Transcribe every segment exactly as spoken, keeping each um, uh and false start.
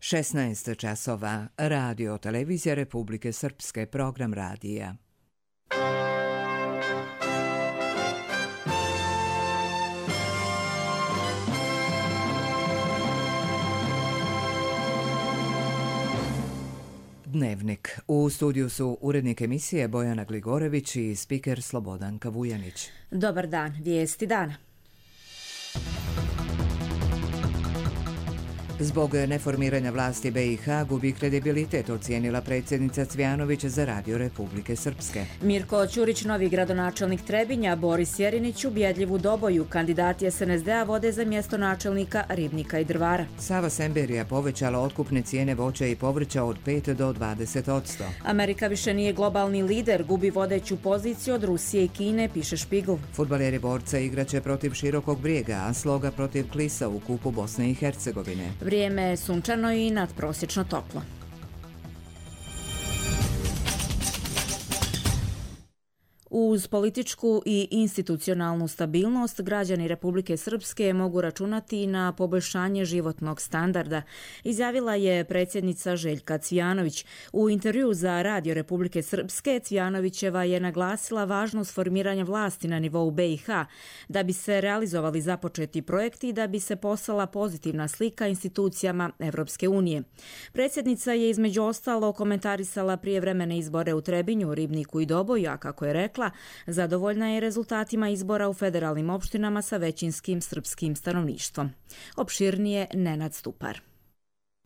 šesnaest časova, Radio Televizija Republike Srpske, program radija. Dnevnik. U studiju su urednik emisije Bojana Gligorević i spiker Slobodanka Vujanić. Dobar dan, vijesti dana. Zbog neformiranja vlasti be i ha gubi kredibilitet, ocijenila predsjednica Cvjanović za Radio Republike Srpske. Mirko Ćurić, novi gradonačelnik Trebinja, Boris Jerinić ubjedljiv u Doboju, kandidati es en es de a vode za mjesto načelnika Ribnika i Drvara. Sava Semberija povećala otkupne cijene voća i povrća od pet do dvadeset posto. Amerika više nije globalni lider, gubi vodeću poziciju od Rusije i Kine, piše Špigl. Fudbaleri Borca igraće protiv Širokog Brijega, a Sloga protiv Klisa u kupu Bosne i Hercegovine. Vrijeme je sunčano i nadprosječno toplo. Uz političku i institucionalnu stabilnost, građani Republike Srpske mogu računati na poboljšanje životnog standarda, izjavila je predsjednica Željka Cvjanović. U intervjuu za Radio Republike Srpske Cvjanovićeva je naglasila važnost formiranja vlasti na nivou be i ha, da bi se realizovali započeti projekti i da bi se poslala pozitivna slika institucijama Evropske unije. Predsjednica je između ostalo komentarisala prijevremene izbore u Trebinju, Ribniku i Doboju, a kako je rekla, zadovoljna je rezultatima izbora u federalnim opštinama sa većinskim srpskim stanovništvom. Opširnije Nenad Stupar.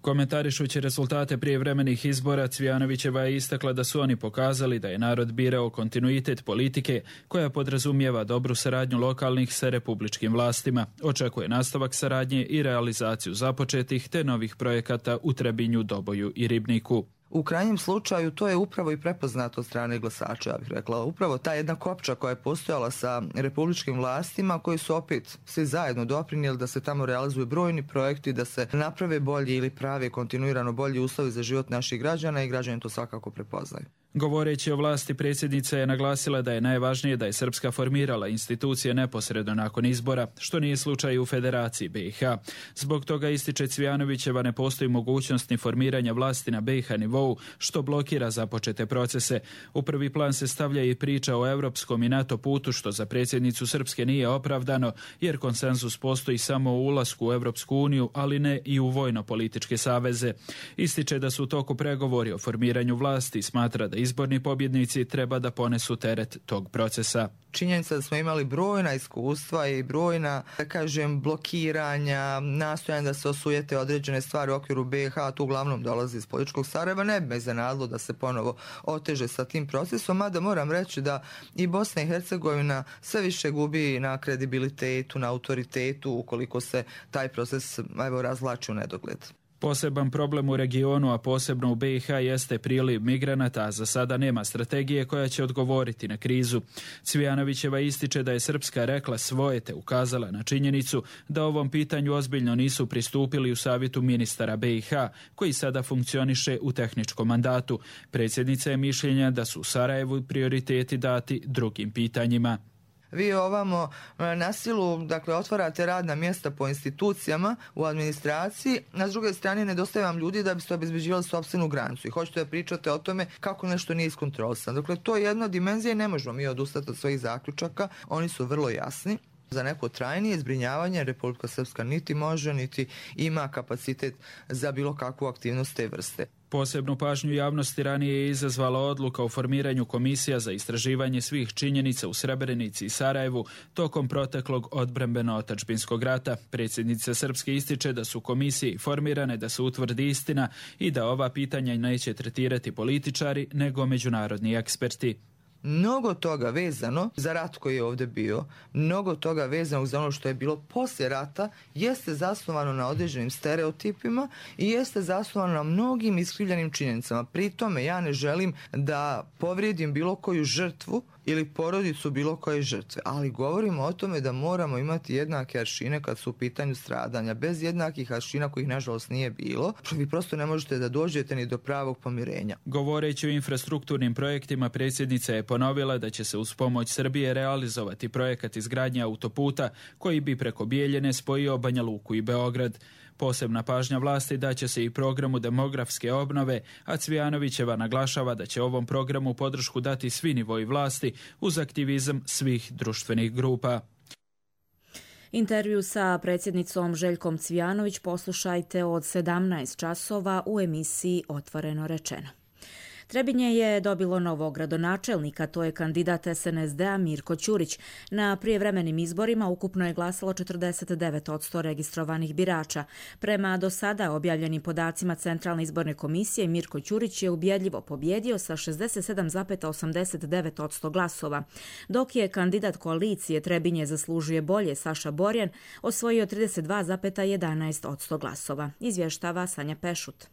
Komentarišući rezultate prijevremenih izbora, Cvjanovićeva je istakla da su oni pokazali da je narod birao kontinuitet politike koja podrazumijeva dobru saradnju lokalnih sa republičkim vlastima. Očekuje nastavak saradnje i realizaciju započetih te novih projekata u Trebinju, Doboju i Ribniku. U krajnjem slučaju to je upravo i prepoznato od strane glasača, ja bih rekla. Upravo ta jedna kopča koja je postojala sa republičkim vlastima, koji su opet svi zajedno doprinijeli da se tamo realizuju brojni projekti, da se naprave bolji ili prave kontinuirano bolji uslovi za život naših građana i građani to svakako prepoznaju. Govoreći o vlasti, predsjednica je naglasila da je najvažnije da je Srpska formirala institucije neposredno nakon izbora, što nije slučaj u Federaciji be i ha. Zbog toga, ističe Cvjanovićeva, ne postoji mogućnost ni formiranja vlasti na be i ha nivou, što blokira započete procese. U prvi plan se stavlja i priča o europskom i NATO putu, što za predsjednicu Srpske nije opravdano, jer konsenzus postoji samo u ulasku u Europsku uniju, ali ne i u vojno-političke saveze. Ističe da su u toku pregovori o formiranju vlasti i smatra da izborni pobjednici treba da ponesu teret tog procesa. Činjenica da smo imali brojna iskustva i brojna, da kažem, blokiranja, nastojanja da se osujete određene stvari u okviru be i ha, tu uglavnom dolazi iz političkog Sarajeva, ne bi me iznenadilo da se ponovo oteže sa tim procesom, mada moram reći da i Bosna i Hercegovina sve više gubi na kredibilitetu, na autoritetu, ukoliko se taj proces evo, razvlači u nedogled. Poseban problem u regionu, a posebno u be i ha, jeste priliv migranata, a za sada nema strategije koja će odgovoriti na krizu. Cvjanovićeva ističe da je Srpska rekla svoje te ukazala na činjenicu da ovom pitanju ozbiljno nisu pristupili u savjetu ministara be i ha, koji sada funkcioniše u tehničkom mandatu. Predsjednica je mišljenja da su u Sarajevu prioriteti dati drugim pitanjima. Vi ovamo na silu, dakle, otvarate radna mjesta po institucijama u administraciji, a s druge strane nedostaje vam ljudi da biste obezbeđivali sopstvenu granicu i hoćete da pričate o tome kako nešto nije iskontrolisano. Dakle, to je jedna dimenzija i ne možemo mi odustati od svojih zaključaka, oni su vrlo jasni. Za neko trajnije zbrinjavanje Republika Srpska niti može, niti ima kapacitet za bilo kakvu aktivnost te vrste. Posebnu pažnju javnosti ranije je izazvala odluka o formiranju komisija za istraživanje svih činjenica u Srebrenici i Sarajevu tokom proteklog odbrambeno-otadžbinskog rata. Predsjednica Srpske ističe da su komisije formirane da se utvrdi istina i da ova pitanja neće tretirati političari nego međunarodni eksperti. Mnogo toga vezano za rat koji je ovdje bio, mnogo toga vezano za ono što je bilo poslije rata, jeste zasnovano na određenim stereotipima i jeste zasnovano na mnogim iskrivljenim činjenicama. Pri tome ja ne želim da povrijedim bilo koju žrtvu ili porodicu bilo koje žrtve, ali govorimo o tome da moramo imati jednake aršine kad su u pitanju stradanja. Bez jednakih aršina kojih nažalost nije bilo, vi prosto ne možete da dođete ni do pravog pomirenja. Govoreći o infrastrukturnim projektima, predsjednica je ponovila da će se uz pomoć Srbije realizovati projekat izgradnje autoputa koji bi preko Bijeljine spojio Banja Luku i Beograd. Posebna pažnja vlasti daće se i programu demografske obnove, a Cvijanovićeva naglašava da će ovom programu podršku dati svi nivoji vlasti uz aktivizam svih društvenih grupa. Intervju sa predsjednicom Željkom Cvijanović poslušajte od sedamnaest časova u emisiji Otvoreno rečeno. Trebinje je dobilo novog gradonačelnika, to je kandidat S N S D-a Mirko Ćurić. Na prijevremenim izborima ukupno je glasalo četrdeset devet posto registrovanih birača. Prema do sada objavljenim podacima Centralne izborne komisije, Mirko Ćurić je ubjedljivo pobjedio sa šezdeset sedam zarez osamdeset devet posto glasova, dok je kandidat koalicije Trebinje zaslužuje bolje Saša Borjan osvojio trideset dva zarez jedanaest posto glasova, izvještava Sanja Pešut.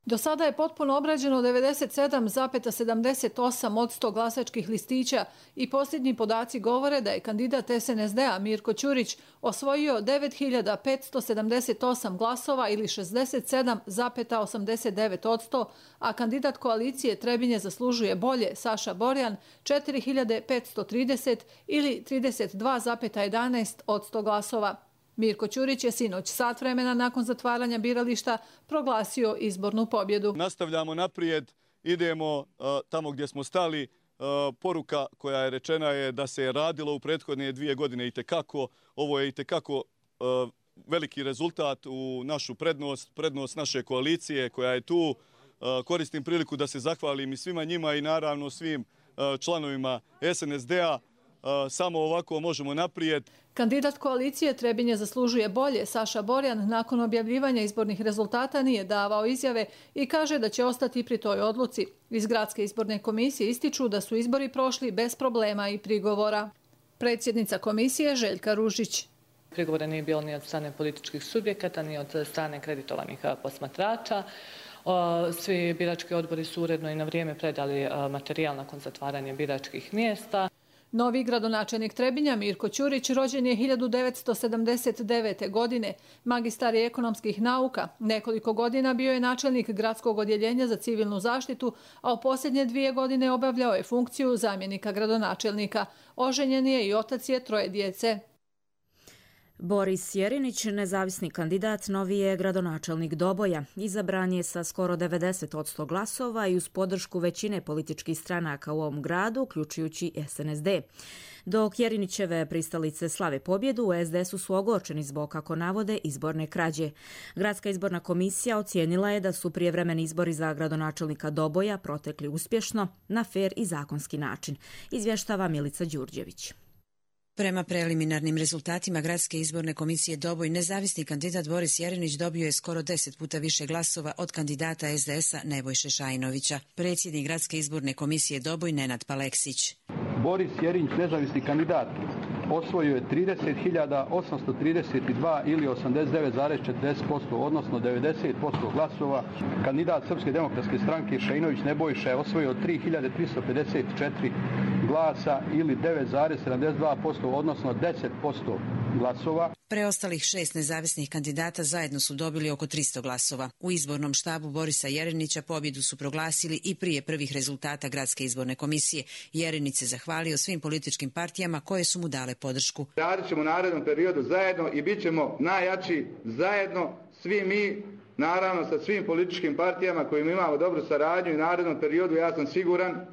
Do sada je potpuno obrađeno devedeset sedam zarez sedamdeset osam posto glasačkih listića i posljednji podaci govore da je kandidat S N S D-a Mirko Ćurić osvojio devet hiljada petsto sedamdeset osam glasova ili šezdeset sedam zarez osamdeset devet posto, a kandidat koalicije Trebinje zaslužuje bolje Saša Borjan četiri hiljade petsto trideset ili trideset dva zarez jedanaest posto glasova. Mirko Ćurić je sinoć sat vremena nakon zatvaranja birališta proglasio izbornu pobjedu. Nastavljamo naprijed, idemo uh, tamo gdje smo stali. Uh, poruka koja je rečena je da se je radilo u prethodne dvije godine itekako. Ovo je itekako uh, veliki rezultat u našu prednost, prednost naše koalicije koja je tu. Uh, koristim priliku da se zahvalim i svima njima i naravno svim uh, članovima S N S D-a. Samo ovako možemo naprijed. Kandidat koalicije Trebinje zaslužuje bolje Saša Borjan nakon objavljivanja izbornih rezultata nije davao izjave i kaže da će ostati pri toj odluci. Iz Gradske izborne komisije ističu da su izbori prošli bez problema i prigovora. Predsjednica komisije Željka Ružić. Prigovora nije bilo ni od strane političkih subjekata, ni od strane kreditovanih posmatrača. Svi birački odbori su uredno i na vrijeme predali materijal nakon zatvaranja biračkih mjesta. Novi gradonačelnik Trebinja Mirko Ćurić rođen je hiljadu devetsto sedamdeset devete. godine, magistar je ekonomskih nauka. Nekoliko godina bio je načelnik gradskog odjeljenja za civilnu zaštitu, a u posljednje dvije godine obavljao je funkciju zamjenika gradonačelnika. Oženjen je i otac je troje djece. Boris Jerinić, nezavisni kandidat, novi je gradonačelnik Doboja. Izabran je sa skoro devedeset posto glasova i uz podršku većine političkih stranaka u ovom gradu, uključujući S N S D. Dok Jerinićeve pristalice slave pobjedu, u S D S-u su ogorčeni zbog, kako navode, izborne krađe. Gradska izborna komisija ocijenila je da su prijevremeni izbori za gradonačelnika Doboja protekli uspješno, na fer i zakonski način, izvještava Milica Đurđević. Prema preliminarnim rezultatima Gradske izborne komisije Doboj, nezavisni kandidat Boris Jerinić dobio je skoro deset puta više glasova od kandidata S D S-a Nebojše Šajnovića. Predsjednik Gradske izborne komisije Doboj Nenad Paleksić. Boris Jerinić, nezavisni kandidat, osvojio je trideset hiljada osamsto trideset dva ili osamdeset devet zarez četrdeset posto, odnosno devedeset posto glasova. Kandidat Srpske demokratske stranke Šajnović Nebojša je osvojio tri hiljade tristo pedeset četiri glasa ili devet zarez sedamdeset dva posto, odnosno deset posto glasova. Preostalih šest nezavisnih kandidata zajedno su dobili oko tristo glasova. U izbornom štabu Borisa Jerinića pobjedu su proglasili i prije prvih rezultata Gradske izborne komisije. Jerinić se zahvalio svim političkim partijama koje su mu dale podršku. Radit ćemo u narednom periodu zajedno i bit ćemo najjači zajedno, svi mi, naravno sa svim političkim partijama kojima imamo dobru saradnju i u narednom periodu ja sam siguran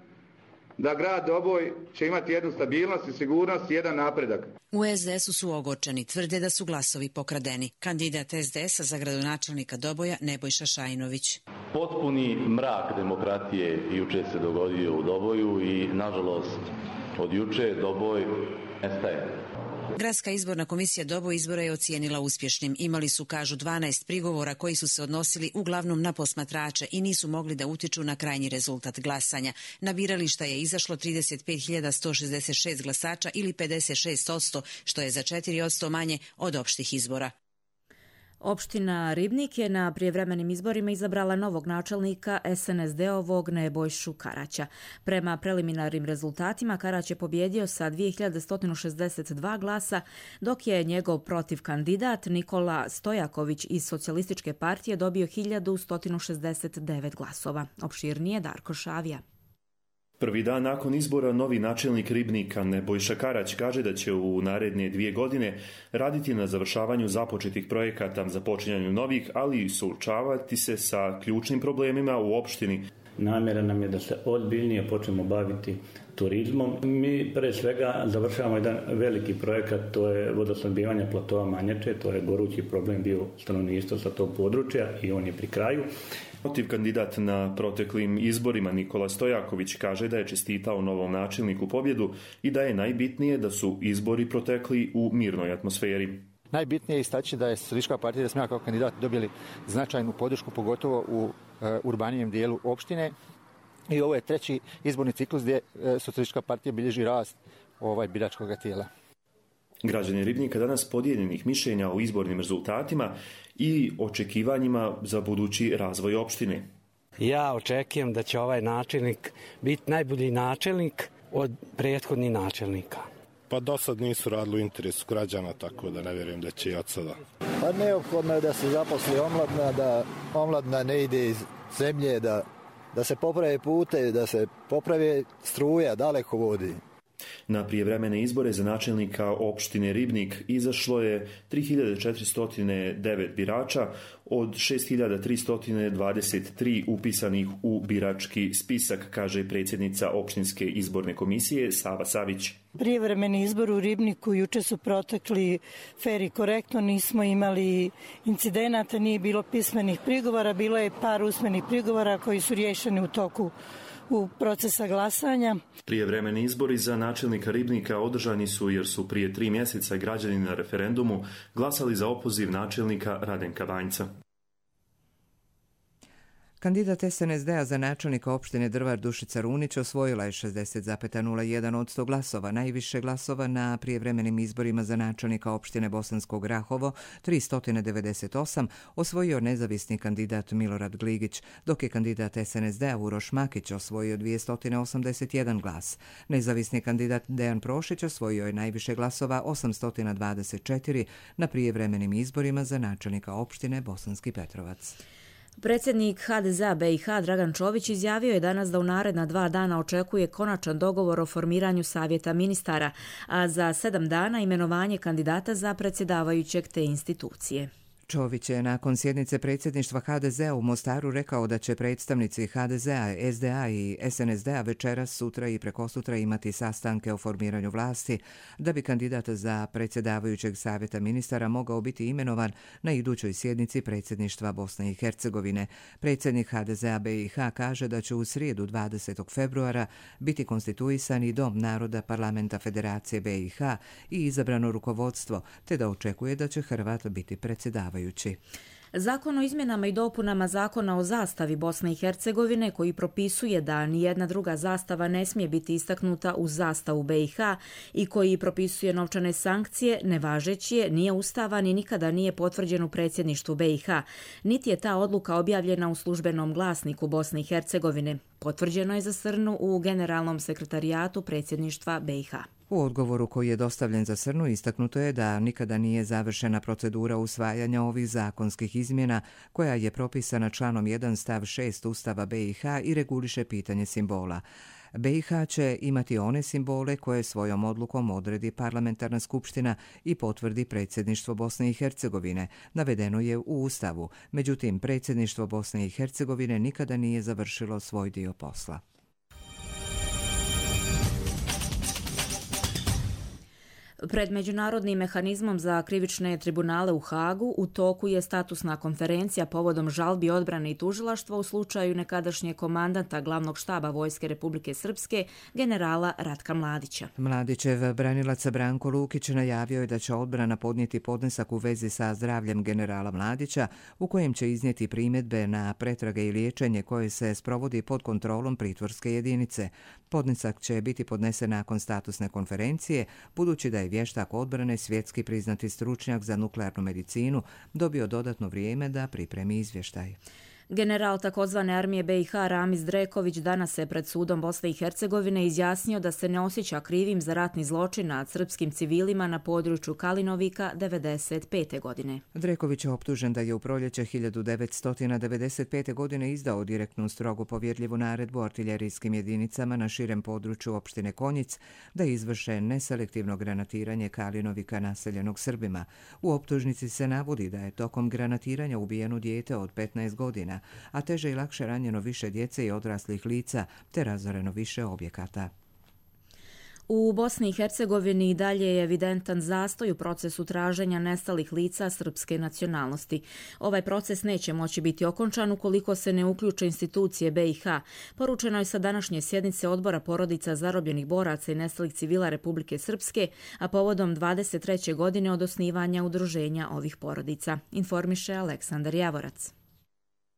da grad Doboj će imati jednu stabilnost i sigurnost i jedan napredak. U S D S-u su ogorčeni, tvrde da su glasovi pokradeni. Kandidat S D S-a za gradonačelnika Doboja Nebojša Šajnović. Potpuni mrak demokratije juče se dogodio u Doboju i nažalost od juče Doboj nestaje. Gradska izborna komisija Doboj izbora je ocijenila uspješnim. Imali su, kažu, dvanaest prigovora koji su se odnosili uglavnom na posmatrače i nisu mogli da utiču na krajnji rezultat glasanja. Na birališta je izašlo trideset pet hiljada sto šezdeset šest glasača ili pedeset šest posto, što je za četiri posto manje od opštih izbora. Opština Ribnik je na prijevremenim izborima izabrala novog načelnika S N S D-ovog Nebojšu Karaća. Prema preliminarnim rezultatima Karać je pobjedio sa dvije hiljade sto šezdeset dva glasa, dok je njegov protiv kandidat Nikola Stojaković iz Socijalističke partije dobio hiljadu sto šezdeset devet glasova. Opširnije Darko Šavija. Prvi dan nakon izbora novi načelnik Ribnika Nebojša Karać kaže da će u naredne dvije godine raditi na završavanju započetih projekata, započinjanju novih, ali i suočavati se sa ključnim problemima u opštini. Namjera nam je da se ozbiljnije počnemo baviti turizmom. Mi pre svega završavamo jedan veliki projekat, to je vodosnabdijevanje platoa Manjače, to je gorući problem bio stanovništva sa tog područja i on je pri kraju. Protiv kandidat na proteklim izborima Nikola Stojaković kaže da je čestitao novom načelniku pobjedu i da je najbitnije da su izbori protekli u mirnoj atmosferi. Najbitnije je istaći da je Socijalistička partija da smo ja kao kandidat dobili značajnu podršku, pogotovo u e, urbanijem dijelu opštine. I ovo je treći izborni ciklus gdje e, Socijalistička partija bilježi rast ovaj biračkog tijela. Građani Ribnika danas podijeljenih mišljenja o izbornim rezultatima i očekivanjima za budući razvoj opštine. Ja očekujem da će ovaj načelnik biti najbolji načelnik od prethodnih načelnika. Pa do sad nisu radili u interesu građana, tako da ne vjerujem da će i od sada. Pa neophodno je da se zaposli omladna, da omladna ne ide iz zemlje, da, da se poprave pute, da se poprave struja, daleko vodi. Na prijevremene izbore za načelnika opštine Ribnik izašlo je tri hiljade četiristo devet birača od šest hiljada tristo dvadeset tri upisanih u birački spisak, kaže predsjednica opštinske izborne komisije Sava Savić. Prijevremeni izbor u Ribniku juče su protekli fer i korektno, nismo imali incidenata, nije bilo pismenih prigovora, bilo je par usmenih prigovora koji su riješeni u toku u procesa glasanja. Prijevremeni izbori za načelnika Ribnika održani su jer su prije tri mjeseca građani na referendumu glasali za opoziv načelnika Radenka Banjca. Kandidat es en es de a za načelnika opštine Drvar Dušica Runić osvojila je šezdeset zarez nula jedan posto glasova, najviše glasova na prijevremenim izborima za načelnika opštine Bosansko Grahovo, tristo devedeset osam, osvojio nezavisni kandidat Milorad Gligić, dok je kandidat es en es de a Uroš Makić osvojio dvjesto osamdeset jedan glas. Nezavisni kandidat Dejan Prošić osvojio je najviše glasova osamsto dvadeset četiri na prijevremenim izborima za načelnika opštine Bosanski Petrovac. Predsjednik ha de ze a be i ha Dragan Čović izjavio je danas da u naredna dva dana očekuje konačan dogovor o formiranju savjeta ministara, a za sedam dana imenovanje kandidata za predsjedavajućeg te institucije. Čović je nakon sjednice predsjedništva ha de ze a u Mostaru rekao da će predstavnici ha de ze a, es de a i es en es de a večeras, sutra i prekosutra imati sastanke o formiranju vlasti da bi kandidat za predsjedavajućeg savjeta ministara mogao biti imenovan na idućoj sjednici predsjedništva Bosne i Hercegovine. Predsjednik ha de ze a be i ha kaže da će u srijedu dvadesetog februara biti konstituisan i Dom naroda Parlamenta Federacije be i ha i izabrano rukovodstvo, te da očekuje da će Hrvat biti predsjedavajući. Zakon o izmjenama i dopunama Zakona o zastavi Bosne i Hercegovine, koji propisuje da nijedna druga zastava ne smije biti istaknuta uz zastavu be i ha i koji propisuje novčane sankcije, nevažeći je, nije ustavan i nikada nije potvrđen u predsjedništvu be i ha. Niti je ta odluka objavljena u službenom glasniku Bosne i Hercegovine. Potvrđeno je za Srnu u Generalnom sekretarijatu predsjedništva be i ha. U odgovoru koji je dostavljen za Srnu istaknuto je da nikada nije završena procedura usvajanja ovih zakonskih izmjena koja je propisana članom jedan stav šest Ustava be i ha i reguliše pitanje simbola. be i ha će imati one simbole koje svojom odlukom odredi parlamentarna skupština i potvrdi predsjedništvo Bosne i Hercegovine, navedeno je u Ustavu. Međutim, predsjedništvo Bosne i Hercegovine nikada nije završilo svoj dio posla. Pred Međunarodnim mehanizmom za krivične tribunale u Hagu u toku je statusna konferencija povodom žalbi odbrane i tužilaštva u slučaju nekadašnjeg komandanta glavnog štaba Vojske Republike Srpske, generala Ratka Mladića. Mladićev branilac Branko Lukić najavio je da će odbrana podnijeti podnesak u vezi sa zdravljem generala Mladića, u kojem će iznijeti primjedbe na pretrage i liječenje koje se sprovodi pod kontrolom pritvorske jedinice. Podnesak će biti podnesen nakon statusne konferencije, budući da je vještak odbrane, svjetski priznati stručnjak za nuklearnu medicinu, dobio dodatno vrijeme da pripremi izvještaj. General takozvane armije B i H Ramiz Dreković danas se pred sudom Bosne i Hercegovine izjasnio da se ne osjeća krivim za ratni zločin nad srpskim civilima na području Kalinovika devedeset pete. godine. Dreković je optužen da je u proljeće hiljadu devetsto devedeset pete. godine izdao direktnu strogo povjerljivu naredbu artiljerijskim jedinicama na širem području opštine Konjic da izvrše neselektivno granatiranje Kalinovika naseljenog Srbima. U optužnici se navodi da je tokom granatiranja ubijeno dijete od petnaest godina, a teže i lakše ranjeno više djece i odraslih lica, te razoreno više objekata. U Bosni i Hercegovini i dalje je evidentan zastoj u procesu traženja nestalih lica srpske nacionalnosti. Ovaj proces neće moći biti okončan ukoliko se ne uključe institucije B i H. Poručeno je sa današnje sjednice Odbora porodica zarobljenih boraca i nestalih civila Republike Srpske, a povodom dvadeset treće godine od osnivanja udruženja ovih porodica, informiše Aleksandar Javorac.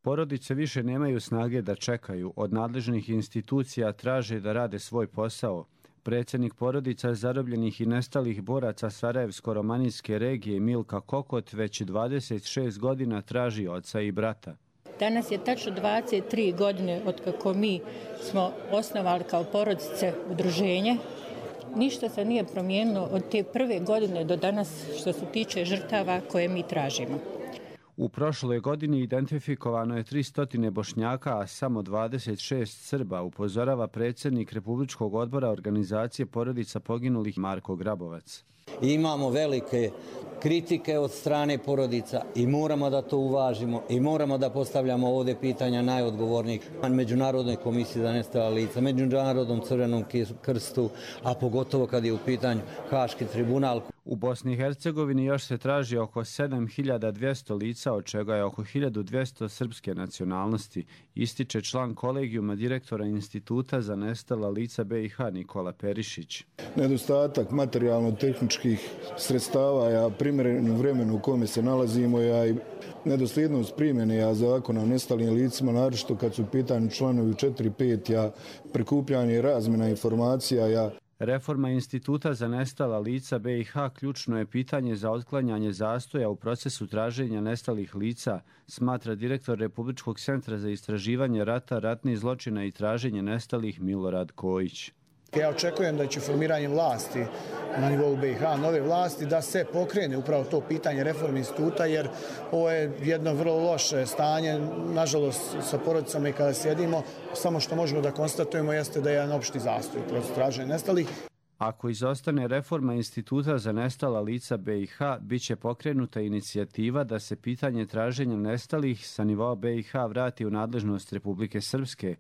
Porodice više nemaju snage da čekaju, od nadležnih institucija traže da rade svoj posao. Predsjednik porodica zarobljenih i nestalih boraca Sarajevsko-romanijske regije Milka Kokot već dvadeset šest godina traži oca i brata. Danas je tačno dvadeset tri godine od kako mi smo osnovali kao porodice udruženje. Ništa se nije promijenilo od te prve godine do danas što se tiče žrtava koje mi tražimo. U prošloj godini identifikovano je tristo Bošnjaka, a samo dvadeset šest Srba, upozorava predsjednik Republičkog odbora organizacije porodica poginulih Marko Grabovac. Imamo velike kritike od strane porodica i moramo da to uvažimo i moramo da postavljamo ovdje pitanja najodgovornijih Međunarodnoj komisiji za nestala lica, Međunarodnom crvenom krstu, a pogotovo kad je u pitanju Haški tribunal. U Bosni i Hercegovini još se traži oko sedam hiljada dvjesto lica, od čega je oko hiljadu dvjesto srpske nacionalnosti, ističe član kolegijuma direktora Instituta za nestala lica B i H Nikola Perišić. Nedostatak materijalno-tehničkih sredstava, ja primjereno vremenu u kome se nalazimo, ja i nedosljednost primjene ja zakona o nestalim licima, naročito kad su u pitanju članovi četiri pet, ja prikupljanje i razmjena informacija, ja Reforma Instituta za nestala lica B i H ključno je pitanje za otklanjanje zastoja u procesu traženja nestalih lica, smatra direktor Republičkog centra za istraživanje rata, ratnih zločina i traženje nestalih Milorad Kojić. Ja očekujem da će formiranjem vlasti na nivou B i H, nove vlasti, da se pokrene upravo to pitanje reforme instituta, jer ovo je jedno vrlo loše stanje, nažalost, sa porodicama i kada sjedimo, samo što možemo da konstatujemo jeste da je jedan opšti zastoj u procesu traženja nestalih. Ako izostane reforma Instituta za nestala lica B i H, bit će pokrenuta inicijativa da se pitanje traženja nestalih sa nivoa B i H vrati u nadležnost Republike Srpske.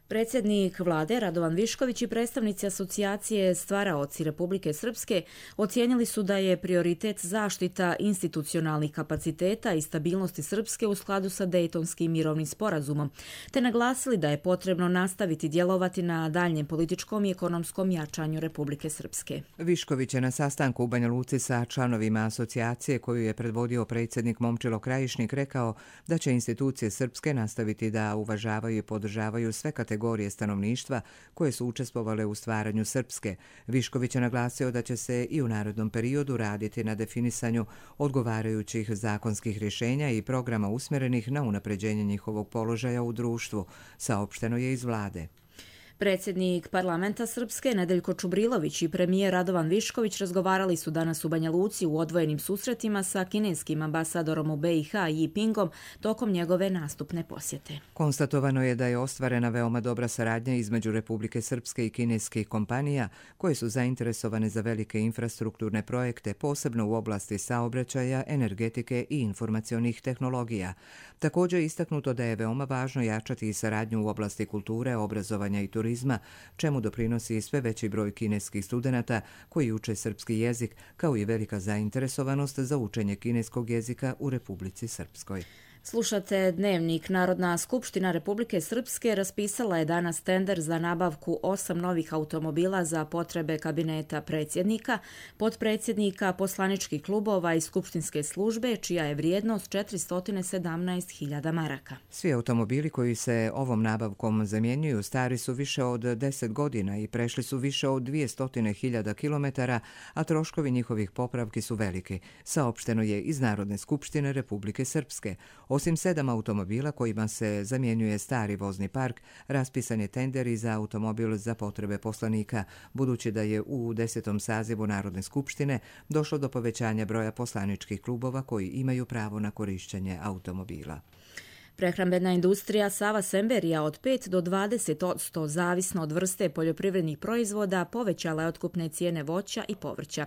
Predsjednik vlade Radovan Višković i predstavnici asocijacije Stvaraoci Republike Srpske ocijenili su da je prioritet zaštita institucionalnih kapaciteta i stabilnosti Srpske u skladu sa Dejtonskim mirovnim sporazumom, te naglasili da je potrebno nastaviti djelovati na daljnjem političkom i ekonomskom jačanju Republike Srpske. Višković je na sastanku u Banja Luci sa članovima asocijacije koju je predvodio predsjednik Momčilo Krajišnik rekao da će institucije Srpske nastaviti da uvažavaju i podržavaju sve kategorije kategorije stanovništva koje su učestvovale u stvaranju Srpske. Višković je naglasio da će se i u narednom periodu raditi na definisanju odgovarajućih zakonskih rješenja i programa usmjerenih na unapređenje njihovog položaja u društvu, saopšteno je iz vlade. Predsjednik parlamenta Srpske Nedeljko Čubrilović i premijer Radovan Višković razgovarali su danas u Banja Luci u odvojenim susretima sa kineskim ambasadorom u B i H Yi Pingom tokom njegove nastupne posjete. Konstatovano je da je ostvarena veoma dobra saradnja između Republike Srpske i kineskih kompanija koje su zainteresovane za velike infrastrukturne projekte, posebno u oblasti saobraćaja, energetike i informacionih tehnologija. Također je istaknuto da je veoma važno jačati i saradnju u oblasti kulture, obrazovanja i turizma, čemu doprinosi sve veći broj kineskih studenata koji uče srpski jezik, kao i velika zainteresovanost za učenje kineskog jezika u Republici Srpskoj. Slušate Dnevnik. Narodna skupština Republike Srpske raspisala je danas tender za nabavku osam novih automobila za potrebe kabineta predsjednika, potpredsjednika, poslaničkih klubova i skupštinske službe, čija je vrijednost četiristo sedamnaest hiljada maraka. Svi automobili koji se ovom nabavkom zamjenjuju stari su više od deset godina i prešli su više od dvjesto hiljada kilometara, a troškovi njihovih popravki su veliki, saopšteno je iz Narodne skupštine Republike Srpske. Osim sedam automobila kojima se zamjenjuje stari vozni park, raspisan je tender i za automobil za potrebe poslanika, budući da je u desetom sazivu Narodne skupštine došlo do povećanja broja poslaničkih klubova koji imaju pravo na korištenje automobila. Prehrambena industrija Sava Semberija od pet do dvadeset posto zavisno od vrste poljoprivrednih proizvoda povećala je otkupne cijene voća i povrća.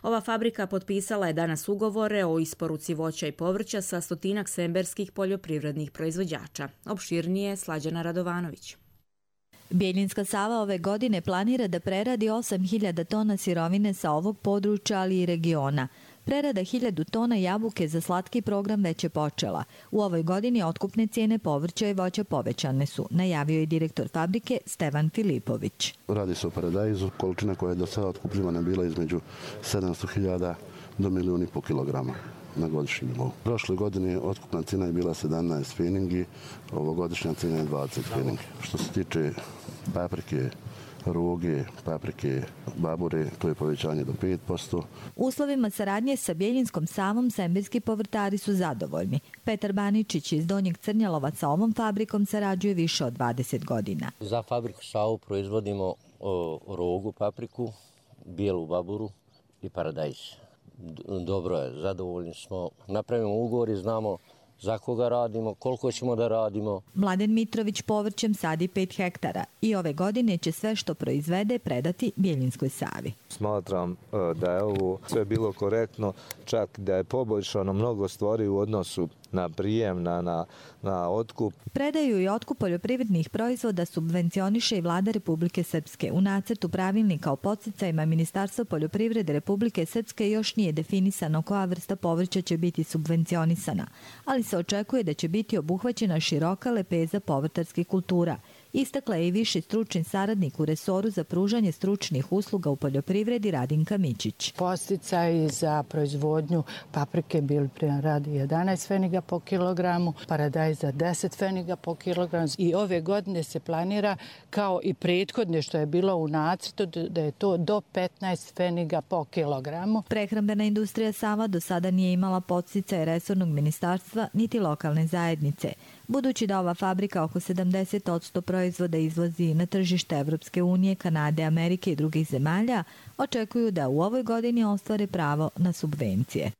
Ova fabrika potpisala je danas ugovore o isporuci voća i povrća sa stotinak semberskih poljoprivrednih proizvođača. Opširnije Slađana Radovanović. Bjeljinska Sava ove godine planira da preradi osam hiljada tona sirovine sa ovog područja, ali i regiona. Prerada hiljadu tona jabuke za slatki program već je počela. U ovoj godini otkupne cijene povrća i voća povećane su, najavio je direktor fabrike Stevan Filipović. Radi se o paradajzu, količina koja je do sada otkupljivana bila između sedamsto hiljada do milijun i po kilograma na godišnjem nivou. Prošle godine otkupna cijena je bila sedamnaest feningi, ovogodišnja cijena je dvadeset feningi. Što se tiče paprike, ruge, paprike, babure, to je povećanje do pet posto. Uslovima saradnje sa Bjeljinskom Savom semberski povrtari su zadovoljni. Petar Baničić iz Donjeg Crnjalova sa ovom fabrikom sarađuje više od dvadeset godina. Za fabriku Savu proizvodimo o, rogu, papriku, bijelu baburu i paradajz. Dobro je, zadovoljni smo. Napravimo ugovor i znamo za koga radimo, koliko ćemo da radimo. Mladen Mitrović povrćem sadi pet hektara i ove godine će sve što proizvede predati Bjeljinskoj Savi. Smatram da je ovo sve bilo korektno, čak da je poboljšano mnogo stvari u odnosu na prijem, na, na, na otkup. Predaju i otkup poljoprivrednih proizvoda subvencioniše i Vlada Republike Srpske. U nacrtu pravilnika o podsticajima Ministarstva poljoprivrede Republike Srpske još nije definisano koja vrsta povrća će biti subvencionisana, ali se očekuje da će biti obuhvaćena široka lepeza povrtarskih kultura. Istakla je i viši stručni saradnik u resoru za pružanje stručnih usluga u poljoprivredi Radinka Mićić. Posticaji za proizvodnju paprike bili prema radi jedanaest feniga po kilogramu, paradajz za deset feniga po kilogramu i ove godine se planira kao i prethodne što je bilo u nacrtu da je to do petnaest feniga po kilogramu. Prehrambena industrija Sava do sada nije imala podsticaje resornog ministarstva niti lokalne zajednice. Budući da ova fabrika oko sedamdeset posto proizvoda izvozi na tržište Evropske unije, Kanade, Amerike i drugih zemalja, očekuju da u ovoj godini ostvare pravo na subvencije.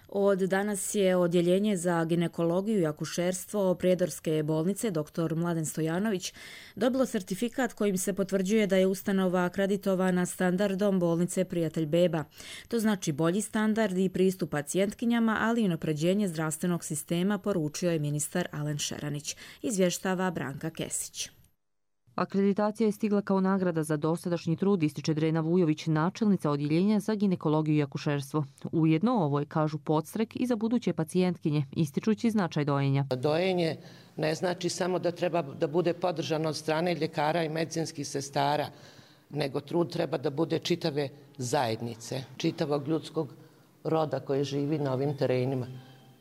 Od danas je odjeljenje za ginekologiju i akušerstvo Prijedorske bolnice dr. Mladen Stojanović dobilo sertifikat kojim se potvrđuje da je ustanova akreditovana standardom bolnice Prijatelj beba. To znači bolji standard i pristup pacijentkinjama, ali i unapređenje zdravstvenog sistema, poručio je ministar Alen Šeranić. Izvještava Branka Kesić. Akreditacija je stigla kao nagrada za dosadašnji trud, ističe Drena Vujović, načelnica odjeljenja za ginekologiju i akušerstvo. Ujedno ovo je, kažu, podstrek i za buduće pacijentkinje, ističući značaj dojenja. Dojenje ne znači samo da treba da bude podržano od strane ljekara i medicinskih sestara, nego trud treba da bude čitave zajednice, čitavog ljudskog roda koji živi na ovim terenima.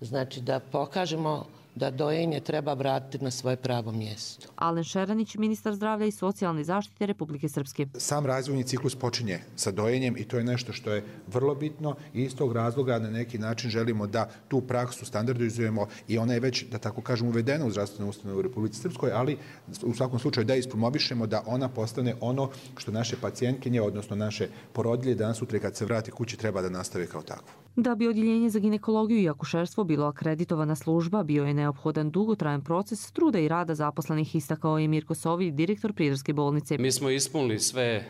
Znači da pokažemo da dojenje treba vratiti na svoje pravo mjesto. Alen Šeranić, ministar zdravlja i socijalne zaštite Republike Srpske. Sam razvojni ciklus počinje sa dojenjem i to je nešto što je vrlo bitno i iz tog razloga na neki način želimo da tu praksu standardizujemo i ona je već, da tako kažem, uvedena u zdravstvenu ustanovu u Republici Srpskoj, ali u svakom slučaju da ispromovišemo da ona postane ono što naše pacijentkinje, odnosno naše porodilje danas sutra kad se vrati kući treba da nastave kao takvo. Da bi odjeljenje za ginekologiju i akušerstvo bilo akreditovana služba, bio je neophodan dugotrajan proces truda i rada zaposlenih, istakao je Mirko Sovi, direktor Prijedorske bolnice. Mi smo ispunili sve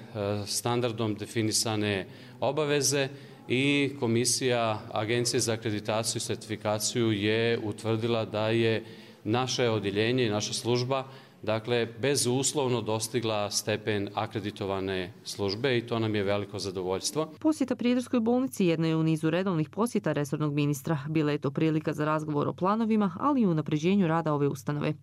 standardom definisane obaveze i komisija Agencije za akreditaciju i sertifikaciju je utvrdila da je naše odjeljenje i naša služba dakle, bezuslovno dostigla stepen akreditovane službe i to nam je veliko zadovoljstvo. Posjeta Prijedorskoj bolnici jedna je u nizu redovnih posjeta resornog ministra. Bila je to prilika za razgovor o planovima, ali i unapređenju rada ove ustanove.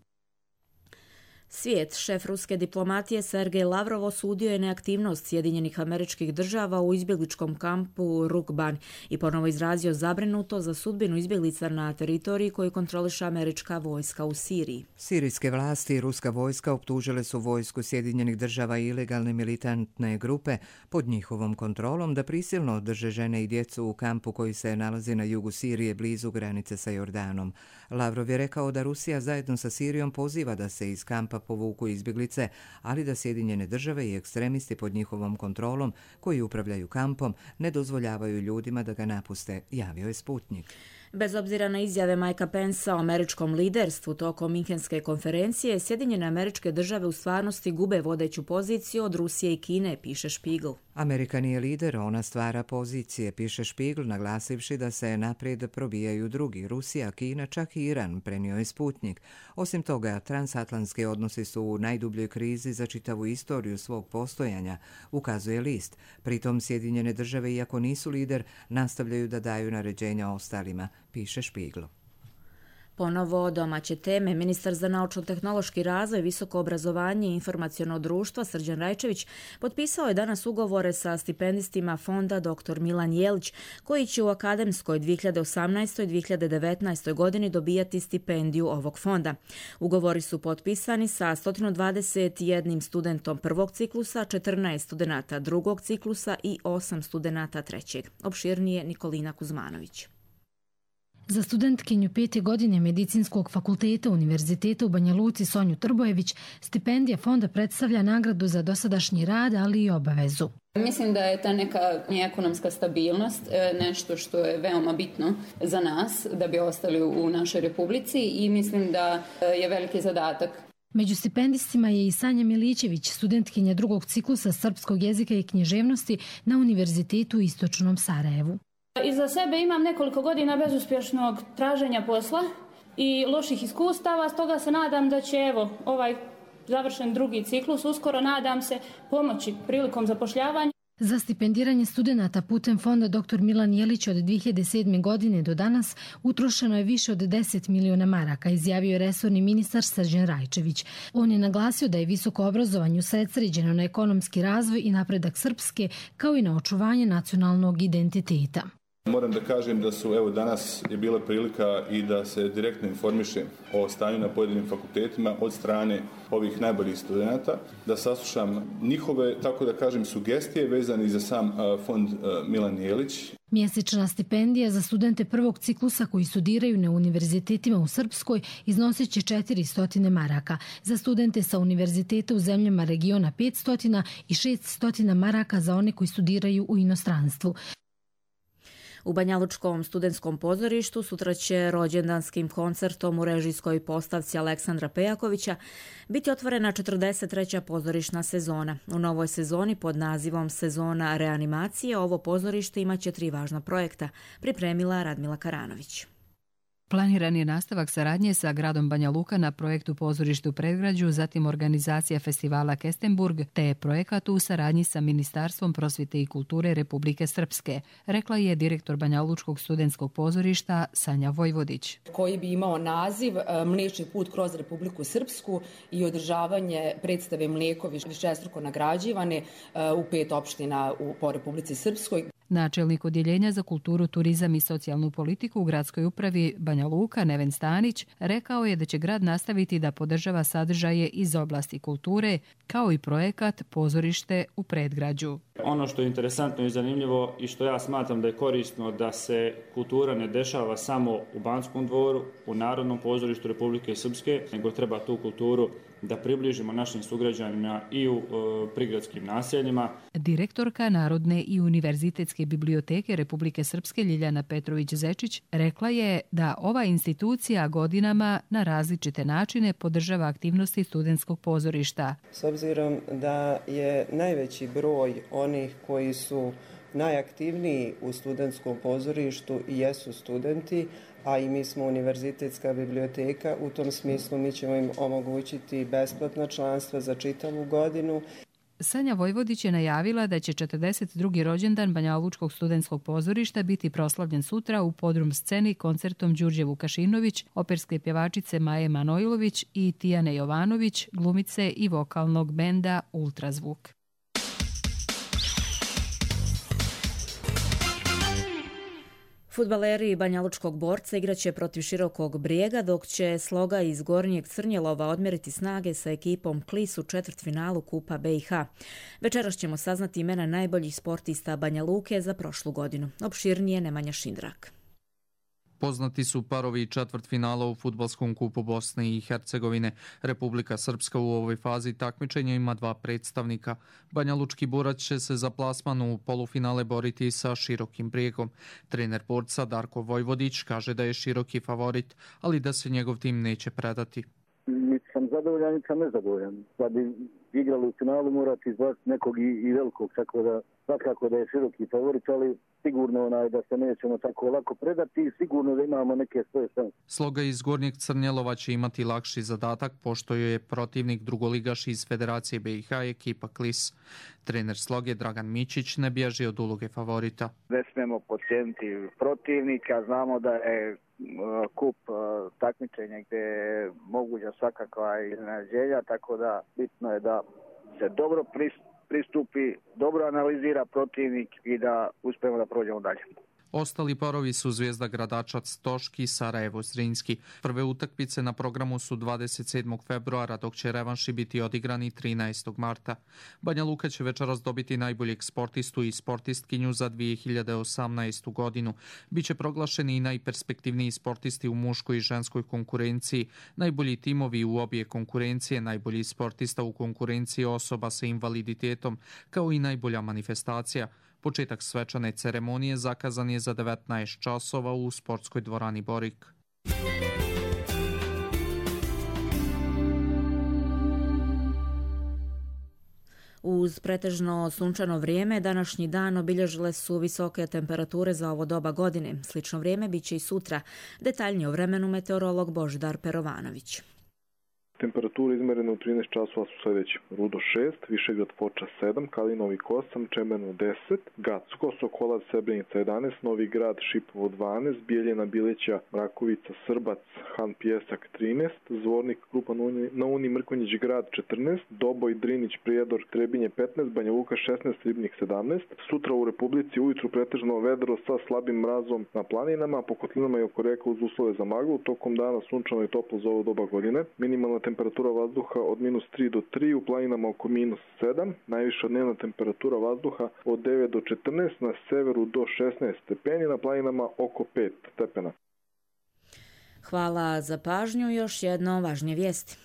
Svijet, šef ruske diplomatije Sergej Lavrov osudio je neaktivnost Sjedinjenih Američkih Država u izbjegličkom kampu Rukban i ponovo izrazio zabrinuto za sudbinu izbjeglica na teritoriji koju kontroliše američka vojska u Siriji. Sirijske vlasti i ruska vojska optužile su vojsku Sjedinjenih Država i ilegalne militantne grupe pod njihovom kontrolom da prisilno drže žene i djecu u kampu koji se nalazi na jugu Sirije blizu granice sa Jordanom. Lavrov je rekao da Rusija zajedno sa Sirijom poziva da se iz kampa povuku izbjeglice, ali da Sjedinjene Države i ekstremisti pod njihovom kontrolom koji upravljaju kampom ne dozvoljavaju ljudima da ga napuste, javio je Sputnik. Bez obzira na izjave Mikea Pencea o američkom liderstvu tokom Minhenske konferencije, Sjedinjene Američke Države u stvarnosti gube vodeću poziciju od Rusije i Kine, piše Spiegel. Amerika nije lider, ona stvara pozicije, piše Spiegel, naglasivši da se naprijed probijaju drugi, Rusija, Kina, čak i Iran, prenio je Sputnik. Osim toga, transatlantski odnosi su u najdubljoj krizi za čitavu istoriju svog postojanja, ukazuje list. Pritom Sjedinjene Države, iako nisu lider, nastavljaju da daju naređenja ostalima, piše Spiegel. Ponovo domaće teme. Ministar za naučno-tehnološki razvoj, visoko obrazovanje i informaciono društvo Srđan Rajčević potpisao je danas ugovore sa stipendistima fonda doktor Milan Jelić, koji će u akademskoj dvije hiljade osamnaestoj dvije hiljade devetnaestoj godini dobijati stipendiju ovog fonda. Ugovori su potpisani sa sto dvadeset jedan studentom prvog ciklusa, četrnaest studenata drugog ciklusa i osam studenata trećeg. Opširnije Nikolina Kuzmanović. Za studentkinju pete godine Medicinskog fakulteta Univerziteta u Banja Luci Sonju Trbojević stipendija fonda predstavlja nagradu za dosadašnji rad, ali i obavezu. Mislim da je ta neka ekonomska stabilnost nešto što je veoma bitno za nas da bi ostali u našoj republici i mislim da je veliki zadatak. Među stipendistima je i Sanja Milićević, studentkinja drugog ciklusa srpskog jezika i književnosti na Univerzitetu u Istočnom Sarajevu. Iza sebe imam nekoliko godina bezuspješnog traženja posla i loših iskustava, stoga se nadam da će evo ovaj završen drugi ciklus uskoro, nadam se, pomoći prilikom zapošljavanja. Za stipendiranje studenata putem fonda doktor Milan Jelić od dvije hiljade sedme. godine do danas utrošeno je više od deset miliona maraka, izjavio je resorni ministar Srđan Rajčević. On je naglasio da je visoko obrazovanje usredsređeno na ekonomski razvoj i napredak Srpske, kao i na očuvanje nacionalnog identiteta. Moram da kažem da su evo danas je bila prilika i da se direktno informiše o stanju na pojedinim fakultetima od strane ovih najboljih studenata, da saslušam njihove, tako da kažem, sugestije vezane za sam fond Milan Jelić. Mjesečna stipendija za studente prvog ciklusa koji studiraju na univerzitetima u Srpskoj iznosit će četiristo maraka, za studente sa univerziteta u zemljama regiona petsto i šeststo maraka za one koji studiraju u inostranstvu. U Banjalučkom studentskom pozorištu sutra će rođendanskim koncertom u režijskoj postavci Aleksandra Pejakovića biti otvorena četrdeset treća pozorišna sezona. U novoj sezoni pod nazivom Sezona reanimacije ovo pozorište imaće tri važna projekta, pripremila Radmila Karanović. Planiran je nastavak saradnje sa gradom Banja Luka na projektu Pozorište u predgrađu, zatim organizacija festivala Kestenburg, te projekat u saradnji sa Ministarstvom prosvjete i kulture Republike Srpske, rekla je direktor Banja Lučkog studentskog pozorišta Sanja Vojvodić. Koji bi imao naziv Mliječni put kroz Republiku Srpsku i održavanje predstave Mlijekovi višestruko nagrađivane u pet opština po Republici Srpskoj. Načelnik odjeljenja za kulturu, turizam i socijalnu politiku u gradskoj upravi Banja Luka, Neven Stanić, rekao je da će grad nastaviti da podržava sadržaje iz oblasti kulture, kao i projekat Pozorište u predgrađu. Ono što je interesantno i zanimljivo i što ja smatram da je korisno da se kultura ne dešava samo u Banskom dvoru, u Narodnom pozorištu Republike Srpske, nego treba tu kulturu da približimo našim sugrađanima i u e, prigradskim naseljima. Direktorka Narodne i univerzitetske biblioteke Republike Srpske Ljiljana Petrović-Zečić rekla je da ova institucija godinama na različite načine podržava aktivnosti studentskog pozorišta. S obzirom da je najveći broj onih koji su najaktivniji u studentskom pozorištu i jesu studenti, a i mi smo univerzitetska biblioteka, u tom smislu mi ćemo im omogućiti besplatno članstvo za čitavu godinu. Sanja Vojvodić je najavila da će četrdeset drugi rođendan Banjalučkog studentskog pozorišta biti proslavljen sutra u podrum sceni koncertom Đurđe Vukašinović, operske pjevačice Maje Manojlović i Tijane Jovanović, glumice i vokalnog benda Ultrazvuk. Fudbaleri Banjalučkog Borca igraće protiv Širokog Brijega, dok će Sloga iz Gornjeg Crnjelova odmjeriti snage sa ekipom Klis u četvrtfinalu Kupa B i H. Večeras ćemo saznati imena najboljih sportista Banja Luke za prošlu godinu. Opširnije Nemanja Šindrak. Poznati su parovi četvrtfinala u fudbalskom kupu Bosne i Hercegovine. Republika Srpska u ovoj fazi takmičenja ima dva predstavnika. Banjalučki Borac će se za plasman u polufinale boriti sa Širokim Brijegom. Trener Borca Darko Vojvodić kaže da je Široki favorit, ali da se njegov tim neće predati. Niti sam zadovoljan, niti sam nezadovoljan. Da bi igrali u finalu morati izbaciti nekog i, i velikog, tako da svakako da je Široki favorit, ali sigurno onaj da se nećemo tako lako predati i sigurno da imamo neke svoje šanse. Sloga iz Gornjeg Crnjelova će imati lakši zadatak, pošto je protivnik drugoligaš iz Federacije B i H ekipa Klis. Trener Sloge Dragan Mićić ne bježi od uloge favorita. Ne smemo podcijeniti protivnika, znamo da je kup takmičenja gdje je moguća svakakva iznenađenja, tako da bitno je da se dobro pristupi, dobro analizira protivnik i da uspijemo da prođemo dalje. Ostali parovi su Zvijezda Gradačac Toški, Sarajevo Zrinski. Prve utakmice na programu su dvadeset sedmog februara, dok će revanši biti odigrani trinaestog marta. Banja Luka će večeras dobiti najboljeg sportistu i sportistkinju za dvije hiljade osamnaestu godinu. Biće proglašeni i najperspektivniji sportisti u muškoj i ženskoj konkurenciji, najbolji timovi u obje konkurencije, najbolji sportista u konkurenciji osoba sa invaliditetom, kao i najbolja manifestacija. Početak svečane ceremonije zakazan je za devetnaest časova u sportskoj dvorani Borik. Uz pretežno sunčano vrijeme, današnji dan obilježile su visoke temperature za ovo doba godine. Slično vrijeme bit će i sutra. Detaljnije o vremenu meteorolog Božidar Perovanović. Temperature izmerene u trinaest časova su sljedeći: Rudo šest, Višegrad Foča sedam, Kalinovik osam, Čemerno deset, Gacko, Sokolac, Srebrenica jedanaest, Novi Grad, Šipovo dvanaest, Bijeljina, Bileća, Mrakovica, Srbac, Han Pjesak trinaest, Zvornik, Krupa na Uni, Mrkonjić Grad četrnaest, Doboj, Drinić, Prijedor, Trebinje petnaest, Banja Luka šesnaest, Ribnik sedamnaest. Sutra u Republici ujutru pretežno vedro sa slabim mrazom na planinama, po kotlinama i oko reka uz uslove za maglu. Tokom dana sunčano i toplo za ovo doba godine. Minimalna temperatura vazduha od minus tri do tri, u planinama oko minus sedam, najviša dnevna temperatura vazduha od devet do četrnaest, na severu do šesnaest stepeni, na planinama oko pet stepena. Hvala za pažnju, još jedno važnije vijesti.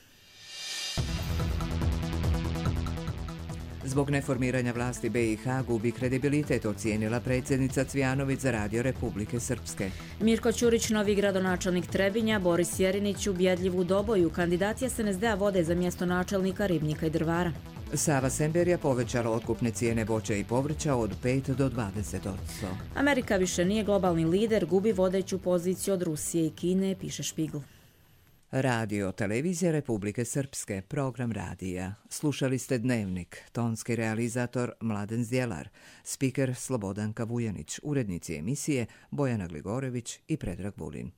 Zbog neformiranja vlasti B i H gubi kredibilitet, ocijenila predsjednica Cvijanović za Radio Republike Srpske. Mirko Ćurić, novi gradonačelnik Trebinja, Boris Jerinić ubjedljiv u doboju. Kandidati S N S D-a vode za mjesto načelnika ribnika i drvara. Sava Semberija povećala otkupne cijene voća i povrća od pet do dvadeset posto. Amerika više nije globalni lider, gubi vodeću poziciju od Rusije i Kine, piše Špigl. Radio Televizija Republike Srpske, program radija. Slušali ste Dnevnik, tonski realizator Mladen Zdjelar, spiker Slobodanka Vujanić, urednici emisije Bojana Gligorević i Predrag Vulin.